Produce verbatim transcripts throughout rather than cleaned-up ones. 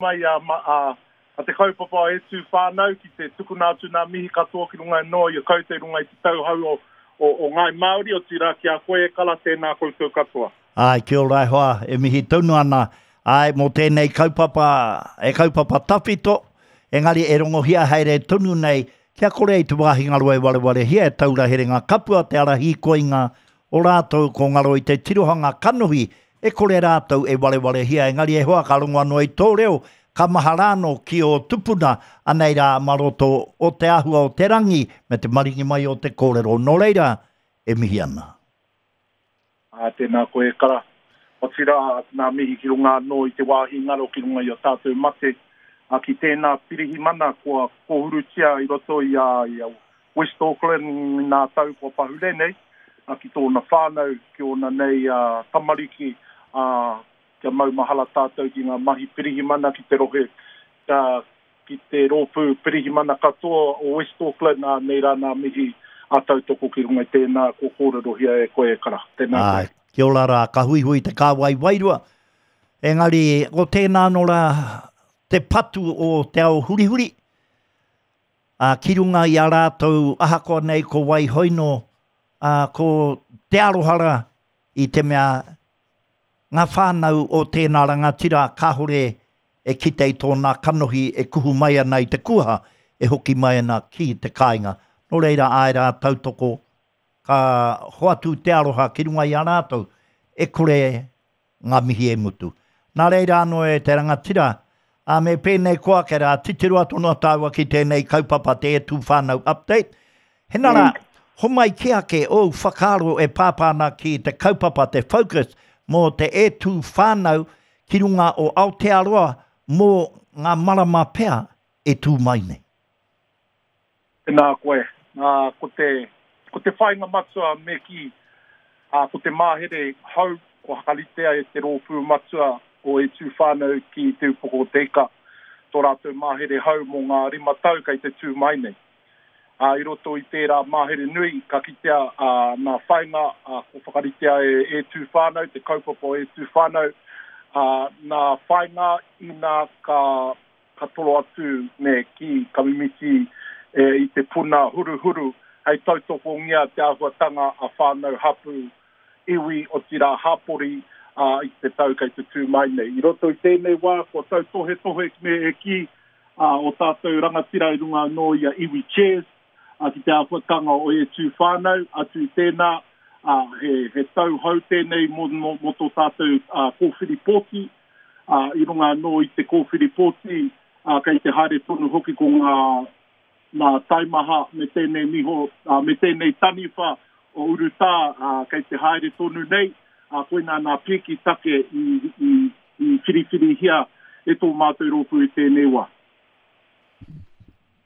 Mai a, a, a te kaupapa E Tū Whānau ki te tukuna atu nā mihi katoa ki runga anō i a koutou i runga i te tauhou o, o, o Ngāi Māori, otirā ki a koe e Kala, tēnā koutou katoa. Āe, kia ora e hoa, e mihi tonu ana, āe, mō tēnei kaupapa, e kaupapa tawhito, engari e rongohia haere tonu nei, kia kore i te wāhi ngaro e warewarehia e taura herenga kapua te ara hīkoinga o rātou ko ngaro i te tirohanga kanohi e kore rātou e warewarehia, engari e hoa ka rongo anō i tō reo, ka mahara anō ki ō tupuna, anei rā ma roto o te āhua o te rangi me te maringi mai o te kōrero, nō reira e mihi ana. Ā, tēnā koe e Kara. Otirā, nā mihi ki runga anō i te wāhi ngaro ki runga i a tātou mate, ā, ki tēnā pirihimana kua kōhurutia i roto i a, i a West Auckland i nā tau kua pahure nei, ā, ki tōna whānau, ki ōna nei ā, tamariki, ā, kia maumahara tātou ki ngā mahi pirihimana ki te rohe, ā, ki te rōpū pirihimana katoa o West Auckland, ā, nei rā nā mihi a tautoko ki runga i tēnā kua kōrerohia e koe e Kara. Tēnā koe. Āe, kia ora rā, ka huihui te kāwai wairua. Engari, ko tēnā anō rā te patu o te ao hurihuri, ā, ki runga i a rātou, ahakoa nei ko wai hoino, ā, ko te aroha rā i te mea ngā whānau o tēnā rangatira kāore e kite i tōna kanohi e kuhu mai ana i te kuaha, e hoki mai ana ki te kāinga. Nō reira, āe rā, tautoko, ka hoatu te aroha ki runga i a rātou, e kore ngā mihi e mutu. Nā reira anō e te rangatira, ā, me pēnei koa ake rā, titiro atu noa tāua ki tēnei kaupapa te E Tū Whānau Update. Hena rā, homai kē ake ōu whakaaro e pāpā ana ki te kaupapa te focus mō te E Tū Whānau ki runga o Aotearoa mō ngā marama pea e tū mai nei. Tēnā koe. Nā, ko te, ko te whāinga matua me kī, ā, ko te mahere hou kua whakaritea e te rōpū matua o E Tū Whānau ki Te Upoko o Te Ika, tō rātou mahere hou mō ngā rima tau kei te tū mai nei. Ā, i roto i tērā mahere nui, ka kitea ā, nā whāinga ā, kua whakaritea e E Tū Whānau, te kaupapa o E Tū Whānau, ā, nā whāinga inā ka, ka toro atu me kī, ka mimiti e, i te puna huruhuru hei tautokongia te āhuatanga a whānau hapū, iwi, otirā hapori, ā, i te tau kei te tū mai nei. I roto i tēnei wā, kua tautohetohe me e kī, ā, o tātou rangatira i runga anō i a Iwi Chairs, ā, ki te āhuatanga o E Tū Whānau, atu i tēnā, ā, he, he tau hou tēnei mō, mō, mō tō tātou ā, kōwhiri pōti, ā, i runga anō i te kōwhiri pōti, ā, kei te haere tonu hoki ko ngā, ngā taimaha me tēnei niho, ā, me tēnei taniwha o urutā, ā, kei te haere tonu nei, ā, koinā nā pīki take i, i, i whiriwhirihia e tō mātou rōpū i tēnei wā.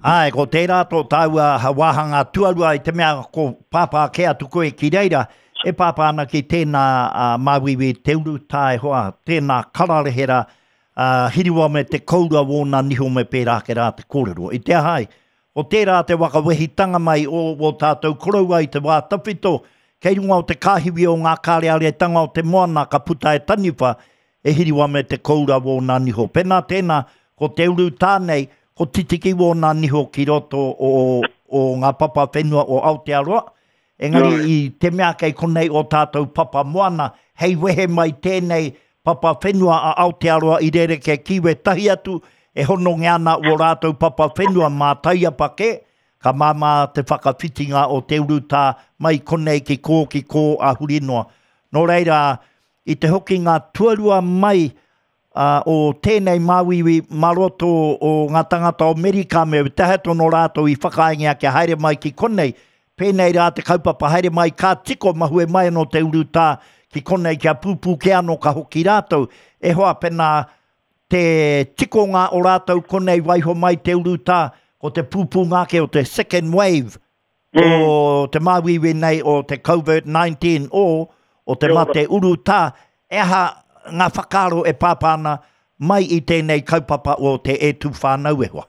Āe, ko tērā tō tāua wāhanga tuarua i te mea ko pāpā kē atu koe ki reira, e pāpā ana ki tēnā uh, māuiui te urutā e hoa, tēnā kararehe rā, uh, hiriwa me te koura wōna niho me pērā ake rā te kōrero. I te aha ai, ko tērā te waka wehitanga mai o wō tātou koroua i te wā tawhito, kei runga o te kāhiwi o ngā kāreareatanga o te moana ka puta e taniwha, e hiriwa me te koura wōna niho. Pēnā tēnā, ko te urutā nei, ko titiki wōna niho ki roto o, o ngā papa whenua o Aotearoa, engari i te mea kei konei o tātou papa moana, hei wehe mai tēnei papa whenua a Aotearoa i rerekē ki wētahi atu, e honongia ana ō rātou papa whenua mā taiapa kē, ka māmā te whakawhitinga o te urutā mai konei ki kō ki kō a huri noa. Nō reira, i te hokinga tuarua mai uh, o tēnei māuiui mā roto o ngā tangata o Amerika me te aha tonu rātou i whakaaengia kia haere mai ki konei, pēnei rā te kaupapa haere mai ka tiko mahue mai anō te urutā ki konei kia pūpū kē anō ka hoki rātou. E hoa, pēnā te tikonga o rātou konei waiho mai te urutā, ko te pūpūnga ake o te second wave mm. o te māuiui nei o te COVID nineteen o, o te mate urutā, e aha ngā whakaaro e pāpā ana mai i tēnei kaupapa o te E Tū Whānau e hoa?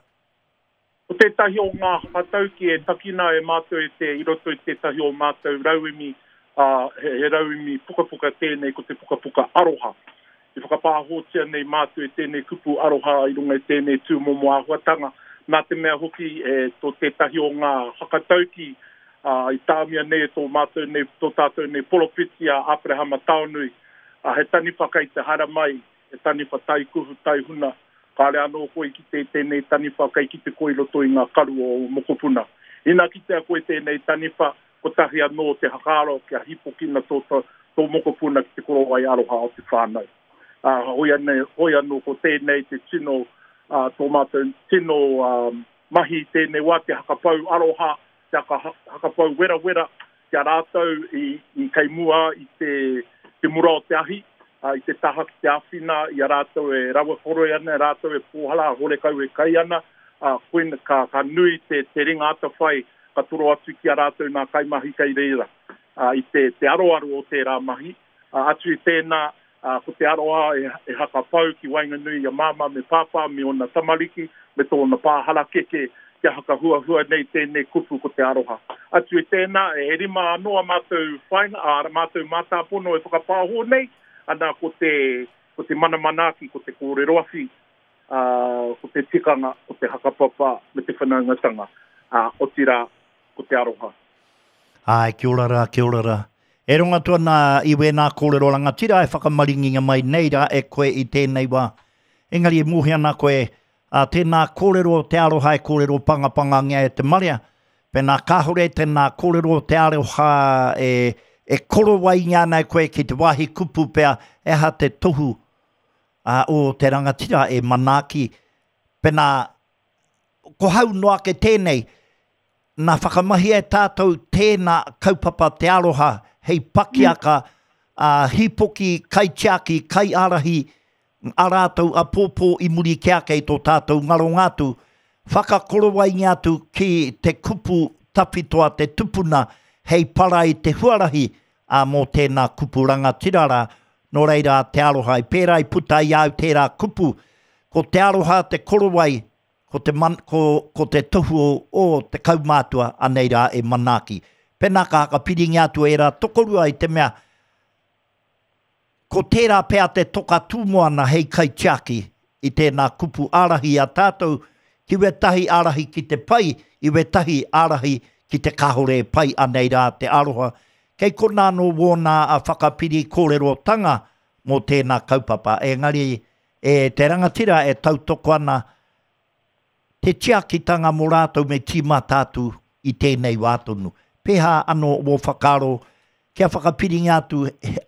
Ko tētahi o ngā whakatauki e takina e mātou e te, i roto i tētahi o mātou rauemi, uh, he, he rauemi pukapuka tēnei, ko te pukapuka aroha. i whakapāhotia nei mātou e tēnei kupu aroha i runga i tēnei tūmomo āhuatanga. Nā te mea hoki e tō tētahi o ngā hakatauki uh, i tāmia nei e tō mātou nei, tō tātou nei poropiti a Aperahama Taonui. Uh, he taniwha kei te haramai, he taniwha taikuhu taihuna. Kāre anō koe ki te tēnei taniwha kei ki te koe roto i ngā karu o mokopuna. Ina kitea koe tēnei taniwha, kotahi anō te hakaro kia hipokina tō, tō, tō mokopuna ki te korowai aroha o te whānau. Uh, hoi, ane, hoi anō ko tēnei te tino, uh, tō mātou tino um, mahi tēnei wā te hakapau aroha, te haka, hakapau werawera, kia rātou i, i kei mua i te, te mura o te ahi, uh, i te taha ki te awhina, i a rātou e rawa koroi ana, rātou e pōhala, horekau e kai ana, uh, koina ka, ka nui te, te ringa atawhai, ka toro atu ki a rātou nā kaimahi kei reira. Uh, i te, te aroaro o tērā mahi, uh, atu i tēnā, uh, ko te aroha e, e hakapau ki waenganui i a māmā me pāpā me ona tamariki, me tōna pāharakeke, kia hakahuahua nei tēnei kupu ko te aroha. Atu i tēnā, e rima anō a mātou whainga, a mātou mātāpono e whakapāho nei, ana ko te, ko te mana manaaki, ko te kōrero awhi, uh, ko te tikanga, ko te hakapapa, me te whanaungatanga, uh, otirā, ko te aroha. Ai, kia ora rā, kia ora rā. E rongo atu ana i wēnā kōrero rangatira e whakamaringinga mai nei rā e koe i tēnei wā. Engari e mōhio ana koe, a tēnā kōrero te aroha e kōrero pangapangangia e te marea. Pēnā kāhore tēnā kōrero te aroha e, e korowaingia ana e koe ki te wāhi kupu pea e aha te tohu a, o te rangatira e manaaki. Pēnā ko hau noa ake tēnei, nā whakamahia e tātou tēnā kaupapa te aroha hei pakiaka, a hipoki, kaitiaki, kaiārahi, a rātou a pōpō i muri ki ake i tō tātou ngaronga atu, whakakorowaingia atu ki te kupu tawhito a te tupuna hei para i te huarahi a mō tēnā kupu rangatira rā, nō reira te aroha. I pērā i puta i au tērā kupu, ko te aroha te korowai, ko te, man, ko, ko te tohu o, o te kaumātua anei rā e manaaki. Pēnā ka hakapiringia atu e rā tokorua i te mea, ko tērā pea te toka tūmoana hei kaitiaki i tēnā kupu ārahi a tātou, ki wetahi ārahi ki te pai, i wetahi ārahi ki te kahore e pai anei rā te aroha. Kei kona anō wōna a whakapiri kōrerotanga mō tēnā kaupapa. Engari e te rangatira e tautoko ana te tiakitanga mō rātou me tīmata atu i tēnei wā tonu. Pēhā anō wō whakaaro kia whakapiringa atu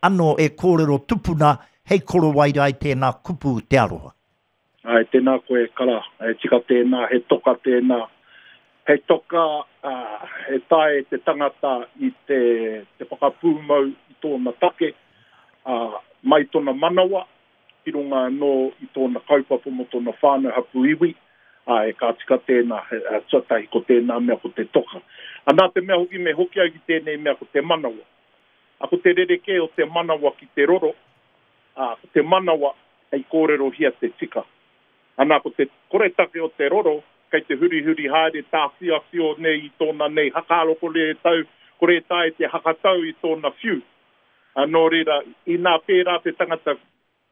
anō e kōrero tupuna hei korowai rā i tēnā kupu te aroha. Ai, tēnā koe kara, e tika tēnā, he toka tēnā. He toka, uh, he tae te tangata i te, te whakapūmau i tōna take, uh, mai tōna manawa, ki runga anō i tōna kaupapa mō tōna whānau hapu iwi, uh, e ka tika tēnā, he, uh, tuatahi ko tēnā mea ko te toka. A nā te mea hoki me hoki au ki tēnei mea ko te manawa. A ko te rerekē o te manawa ki te roro, a ko te manawa hei kōrerohia te tika. Ana ko te koretake o te roro, kei te hurihuri haere tāwhiawhio nei i tōna nei hakaaro kore e tau, kore e tae te hakatau i tōna whiu. A nō reira, inā pērā te tangata,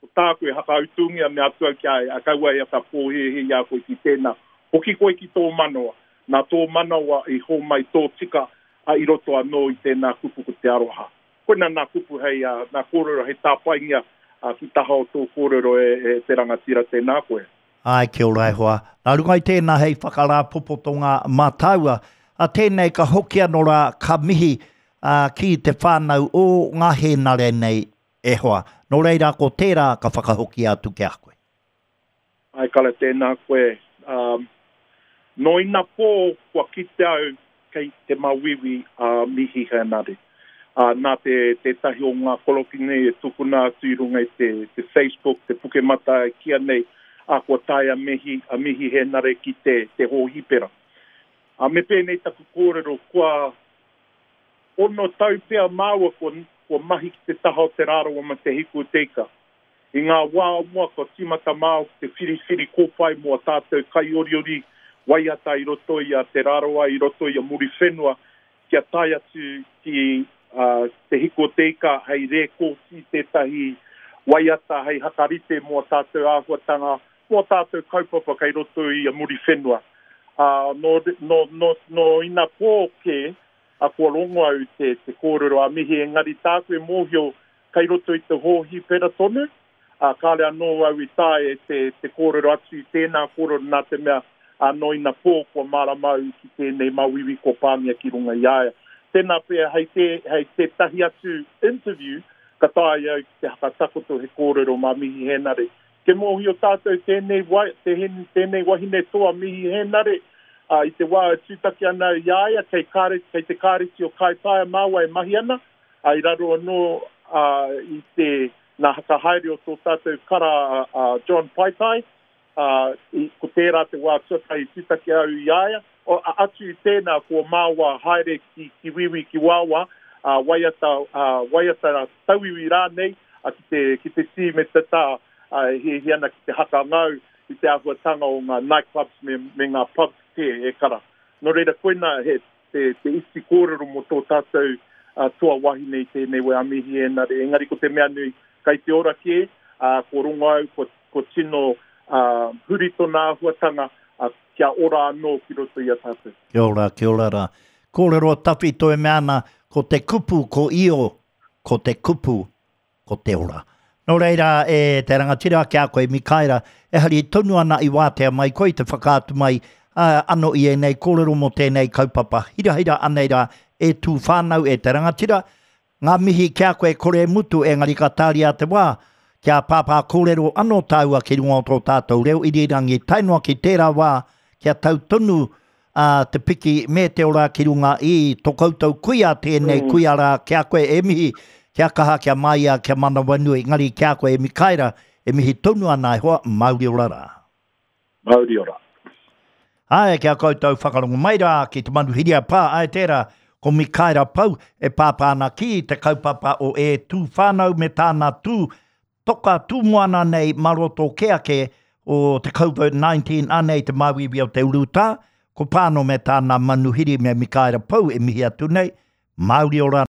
ko tāku e hakautungia me atu au kia e, a kaua e ata pōhehe i a koe ki tēnā. Hoki koe ki tō manawa. Nā tō manawa i hōmai tō tika a i roto anō i tēnā kupu ko te aroha. Koina nā kupu hei, uh, nā kōrero hei tāpaingia uh, ki taha o tō kōrero e, e te rangatira tēnā koe. Ai, kia ora e hoa. Nā runga i tēnā hei whakarāpopotonga mātaua, a tēnei ka hoki anō rā ka mihi uh, ki te whānau o ngā hēnare nei e hoa. Nō reira ko tērā ka whakahoki atu ki a koe. Ai, kara tēnā koe. Um, no ina pō kua kite au kei te mawiwi a uh, Mihi Hēnare. Uh, nā te tētahi o ngā koroki nei e tukuna atu i runga i te, te Facebook, te Pukemata e kia nei, a kua tae a Mihi, a Mihi Hēnare ki te, te hōhipera. A me pēnei taku kōrero, kua ono tau pea māua kua, kua mahi ki te taha o Te Rarawa ma Te Hiku o Te Ika. I ngā wā o mua kua tīmata māu ki te whiriwhiri kōpae mō a tātou kaioriori waiata i roto i a Te Rarawa, i roto i a Muriwhenua, kia tae atu ki uh, Te Hiku o Te Ika hei rēkōti tētahi waiata hei hakarite mō tātou āhuatanga, mō tātou kaupapa kei roto i a Muriwhenua. Uh, no, no, no, no ina pō ke, a kua rongo au te, te kōrero a Mihi, engari tāku e mōhio kei roto i te hōhipera tonu, uh, kāre anō au i tae e te, te kōrero atu i tēnā kōrero nā te mea anō ina pō kua mārama au ki tēnei mauiui kua pāngia ki runga i a ia. Tēnā pea hei, te, hei tētahi atu interview, ka tae au ki te hakatakoto he kōrero mā Mihi Henare. Ke mōhio tātou tēnei, wai, tēnei, tēnei wahine toa Mihi Henare, uh, i te wā e tūtaki ana i a ia, kei, kare, kei te kāreti o Kaitaia māua e mahi ana, uh, i raro anō uh, i te nā hakahaere o tō tātou kara uh, John Paitai, uh, i, ko tērā te wā tuatahi tūtaki au i a ia, o, atu i tēnā ko māua haere ki, ki wiwi ki wawa, uh, waiata, uh, waiata tauiwi rānei, uh, ki te, ki te tī me te tā, uh, hi, hi ana ki te hakangau i te āhuatanga o ngā nightclubs me, me ngā pubs kē e kara. Nō reira koina he te, te iti kōrero mō tō tātou uh, toa wahine i tēnei wē a Mihi Henare. Engari ko te mea nui, kei te ora kē, uh, ko rongo au, ko, ko tino uh, huri tōna āhuatanga, uh, kia ora anō ki roto i a tātou. Kia ora, kia ora rā. Kōrero tawhito e mea ana, ko te kupu, ko io, ko te kupu, ko te ora. Nō reira, e te rangatira ki a koe Mikaera, e hari tonu ana i wātea mai koe te whakaatu mai uh, ano i ēnei kōrero mō tēnei kaupapa. Hirahira anei rā, e tū whānau e te rangatira, ngā mihi ki a koe kore mutu engari ka tāria te wā, kia pāpā kōrero anō tāua ki runga o tō tātou reo irirangi tae noa ki tērā wā, kia tau tonu uh, te piki me te ora ki runga i tō koutou kuia tēnei mm. kuia rā, ki a koe e mihi, kia kaha, kia maia, kia manawanui, engari ki a koe e Mikaera, e mihi tonu ana e hoa, mauri ora rā. Mauri ora. Ai, kia koutou whakarongo mai rā ki te manuhiri a pā, ai tērā, ko Mikaera Pau e pāpā ana ki te kaupapa o E Tū Whānau me tāna tū, toka tūmoana nei maroto ke ake o te COVID nineteen anei te māuiui o te urutā, ko pāno me tāna manuhiri me Mikaera Pau e mihi atu nei, mauri ora.